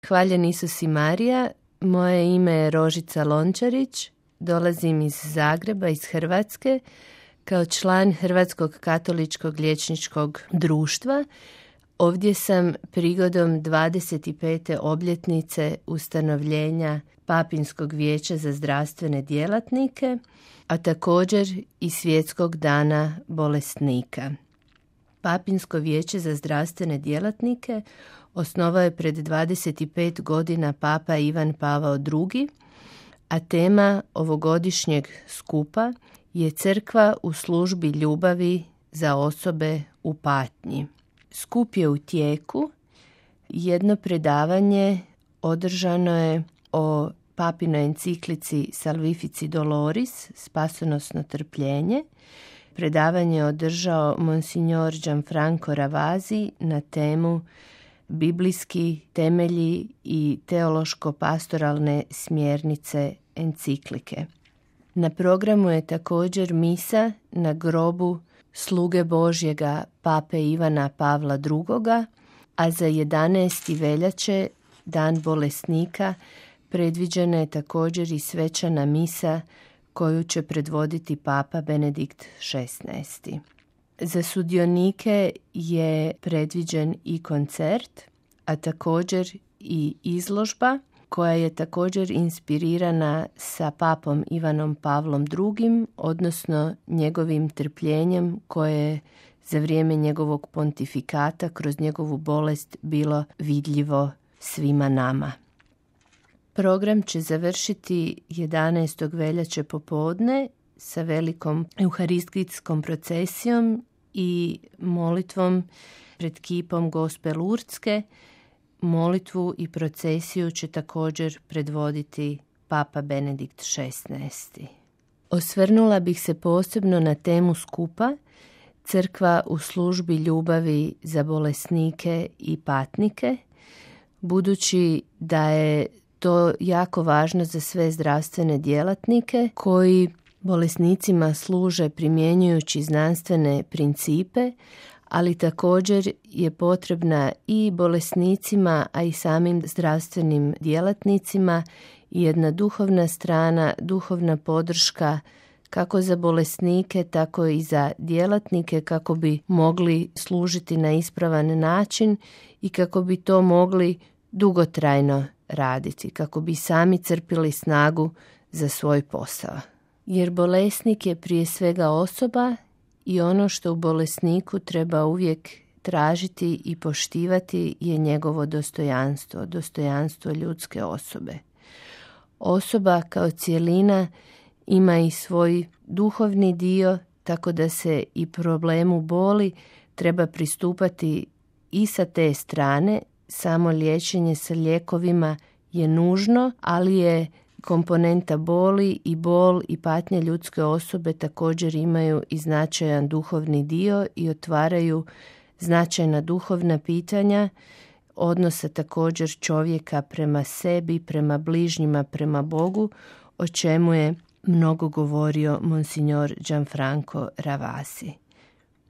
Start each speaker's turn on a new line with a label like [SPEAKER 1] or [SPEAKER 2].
[SPEAKER 1] Hvaljen Isus i Marija, moje ime je Rožica Lončarić, dolazim iz Zagreba, iz Hrvatske, kao član Hrvatskog katoličkog liječničkog društva. Ovdje sam prigodom 25. obljetnice ustanovljenja Papinskog vijeća za zdravstvene djelatnike, a također i Svjetskog dana bolesnika. Papinsko vijeće za zdravstvene djelatnike osnovao je pred 25 godina Papa Ivan Pavao II, a tema ovogodišnjeg skupa je Crkva u službi ljubavi za osobe u patnji. Skup je u tijeku. Jedno predavanje održano je o papinoj enciklici Salvifici Doloris, spasonosno trpljenje. Predavanje je održao monsignor Gianfranco Ravasi na temu biblijski temelji i teološko-pastoralne smjernice enciklike. Na programu je također misa na grobu sluge Božjega Pape Ivana Pavla II, a za 11. veljače, dan bolesnika, predviđena je također i svečana misa koju će predvoditi Papa Benedikt XVI. Za sudionike je predviđen i koncert, a također i izložba koja je također inspirirana sa Papom Ivanom Pavlom II, odnosno njegovim trpljenjem koje je za vrijeme njegovog pontifikata kroz njegovu bolest bilo vidljivo svima nama. Program će završiti 11. veljače popodne sa velikom euharistijskom procesijom i molitvom pred kipom Gospe Lurdske. Molitvu i procesiju će također predvoditi Papa Benedikt XVI. Osvrnula bih se posebno na temu skupa Crkva u službi ljubavi za bolesnike i patnike, budući da je to jako važno za sve zdravstvene djelatnike koji bolesnicima služe primjenjujući znanstvene principe, ali također je potrebna i bolesnicima, a i samim zdravstvenim djelatnicima jedna duhovna strana, duhovna podrška kako za bolesnike, tako i za djelatnike, kako bi mogli služiti na ispravan način i kako bi to mogli dugotrajno raditi, kako bi sami crpili snagu za svoj posao. Jer bolesnik je prije svega osoba i ono što u bolesniku treba uvijek tražiti i poštivati je njegovo dostojanstvo, dostojanstvo ljudske osobe. Osoba kao cjelina ima i svoj duhovni dio, tako da se i problemu boli treba pristupati i sa te strane. Samo liječenje sa lijekovima je nužno, ali je komponenta boli i bol i patnje ljudske osobe također imaju i značajan duhovni dio i otvaraju značajna duhovna pitanja odnosa također čovjeka prema sebi, prema bližnjima, prema Bogu, o čemu je mnogo govorio monsignor Gianfranco Ravasi.